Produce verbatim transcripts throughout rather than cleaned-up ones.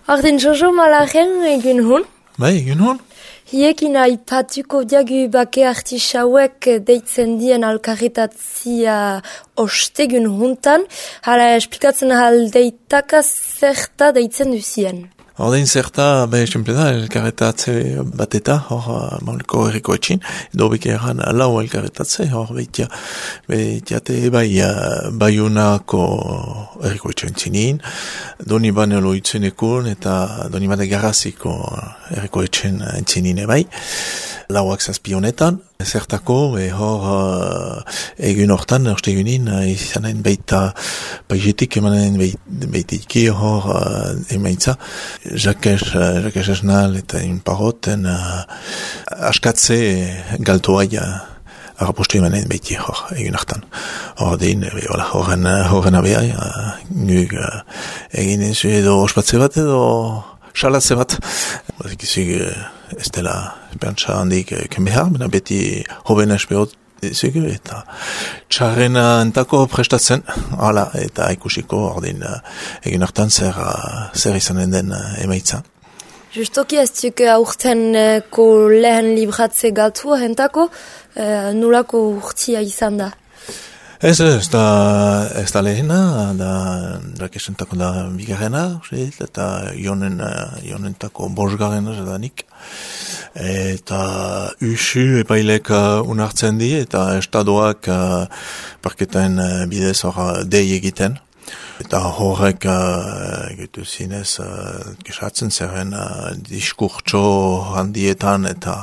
Ordin Jojo Malaren egun hun. Bai, egun hun. Hiekin aipatuko diagu bake artisauek deitzen dien alkarritatzia ostegun huntan. Hala esplikatzen ahal deitaka zerta deitzen duzien. Ordein zerta, be, simple da, elkarretatze bat eta, hor, mauleko erriko etxin, edo beke erran lau elkarretatze, hor, behitia, behitiate bai, baiunako erriko etxin zinin, doni bane loitzenekun, eta doni bane garraziko erriko etxin zinin bai, lauak zazpi honetan, zertako, e, hor, uh, egun hortan, ostegunin, uh, izanen baita paizetik emanen baitiki, hor, uh, emaitza, Jakes, uh, Jakes esnal eta inparoten uh, askatze galtoa ja harrapostu emanen baiti, hor, egun hartan. Hor, dein, e, hola, horren, horren abea, uh, nuk, uh, egin ez edo ospatze bat edo xalatze bat. Bazik izug, ez dela esperantza handik kenbehar, baina beti hoben espeot izug, eta txarrena entako prestatzen, hala, eta ikusiko ordin egin hartan zer, zer izanen den emaitza. Justoki ez duk aurtenko lehen libratze galtua entako, nulako urtia izan da? Ez, ez da, ez da lehena, da, da kesentako da bigarrena, eta jonen, jonentako bosgarrena zadanik. Eta usu epailek unartzen di, eta estadoak parketen bidez hor dei egiten. Eta horrek egitu zinez gesatzen zeren diskurtso handietan, eta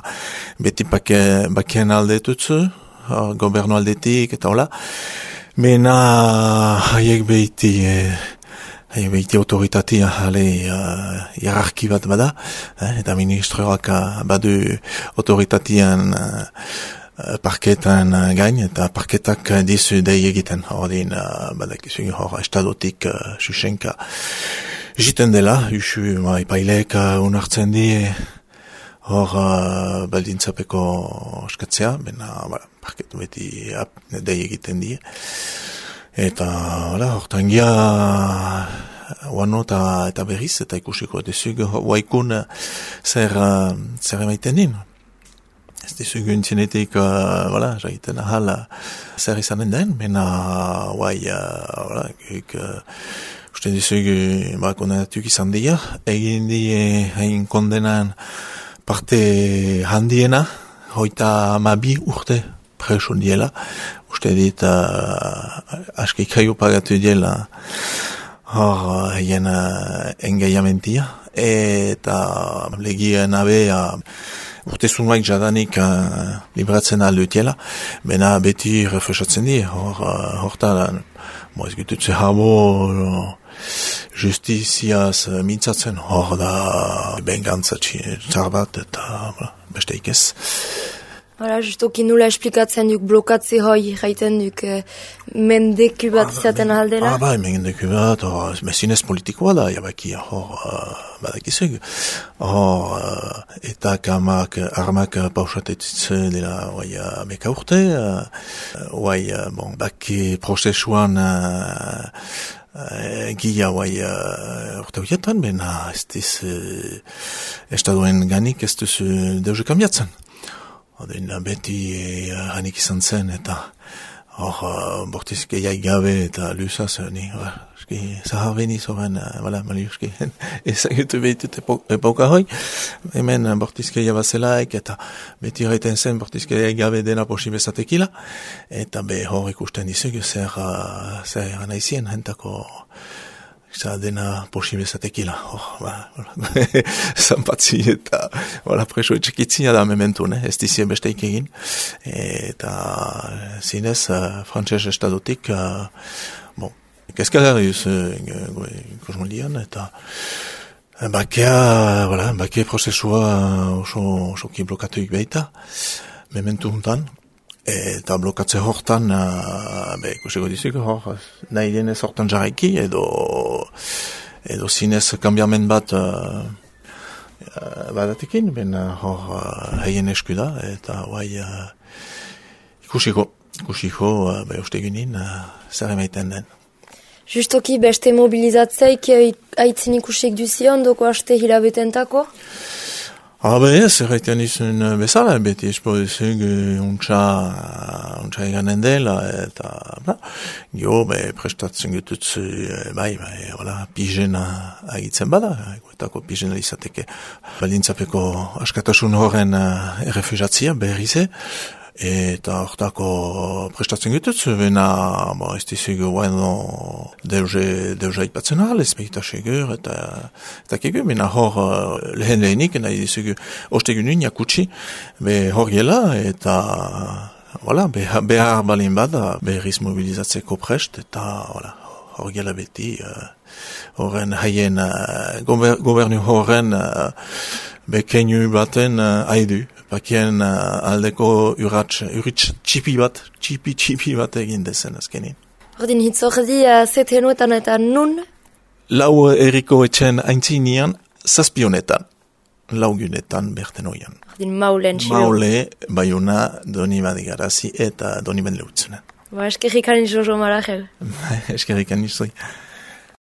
beti bakien aldetutzu, gobernu aldetik, eta hola. Mena haiek behiti, haiek behiti autoritatea, hale, uh, hierarki bat bada, eh, eta ministroak badu autoritatean uh, parketan gain, eta parketak dizu dei egiten, ordin, uh, badak izu, hor, estadotik uh, susenka jiten dela, usu, ma, ipailek uh, unartzen di, hor uh, baldintzapeko eskatzea, bena, bara, parketu beti ap, dei egiten die. Eta, hala, hortan gia, uano eta, eta berriz, eta ikusiko dezug, waikun zer, uh, zer emaiten din. Ez dezug untzinetik, uh, voilà, jaiten ahal, zer izanen den, bena, wai, uh, voilà, guk, uh, uste dezug, ba, kondenatuk izan dira, egin die, hain kondenan, parte handiena, hoita amabi urte preso diela, uste dit uh, aski kraio pagatu diela hor haien uh, engaiamentia, eta legien abea urte zunuak jadanik uh, libratzen aldutiela, bena beti refresatzen di, hor uh, horta, mo ez gututze habo, no, justiziaz mintzatzen, hor da bengantza txar bat, eta beste ikez. Hala, justoki nula esplikatzen duk blokatze hoi, jaiten duk eh, mendeku bat izaten ahaldela? Ah, bai, mendeku bat, hor, mesinez politikoa da, jabaki, hor, uh, badakizug, hor, uh, eta kamak, armak pausatetitze dela, oai, uh, meka urte, oai, uh, uh, bon, baki prozesuan, uh, Uh, Gia guai uh, urte horietan, bena ez diz uh, estaduen ganik ez duzu deuze kambiatzen. Oden beti uh, hanik izan zen, eta hor uh, bortiz gehiaik gabe eta lusaz, uh, ni, uh, eski, zahar beniz horren, uh, bala, mali, eski, ezagutu behitut epoka hoi, hemen uh, bortiz gehiaik bazelaik, eta beti gaiten zen bortiz gehiaik gabe dena posibezatekila, eta be hor ikusten dizug, zer, uh, zer anaizien, hentako, Eta dena posibezatekila, hor, ba, zanpatzi eta, wala, preso etxekitzina da mementu, ne, ez dizien besteik egin, eta zinez, uh, frantxez estadotik, uh, bon, kezkagarriuz, uh, kosmoldian, eta bakea, wala, bakea prozesua oso, oso ki blokatuik behita, mementu huntan, eta blokatze hortan, uh, be, ikusiko dizik, hor, nahi denez hortan jarraiki, edo, edo zinez kambiamen bat uh, uh, badatekin, ben hor uh, heien esku da, eta guai uh, ikusiko, ikusiko, uh, be, uste ginen, uh, zer emaiten den. Justoki beste mobilizatzeik haitzen ikusik duzion, doko haste hilabetentako? Habe ez, erraiten izun bezala, beti espoizug untsa, untsa eganen dela, eta, bla, gio, be, prestatzen gututzu, bai, bai, hola, pijena agitzen bada, eguetako pijena izateke, balintzapeko askatasun horren errefusatzia, berrize, eta hortako prestatzen gututzu, bena, bo, ez dizugu, bueno, deuze, deuze aipatzen ahal, ez behita segur, eta, eta kegu, bena hor lehen lehenik, nahi dizugu, ostegun nuen jakutsi, be hor gela, eta, voilà, behar balin bada, berriz mobilizatzeko prest, eta, voilà, hor gela beti, horren haien, gobernu horren, bekeinu baten haidu. Bakien uh, aldeko urratx, urritx txipi bat, txipi txipi bat egin dezen azkenin. Ordin hitzordi uh, zetenuetan eta nun? Lau erriko etxen aintzinian, zazpionetan, laugunetan berten oian. Ordin maulen txilo. Maule, Baiona, Doni Badigarazi eta Doni Ben Leutzunen. Ba, eskerrikan izo jo marajel. Eskerrikan izo.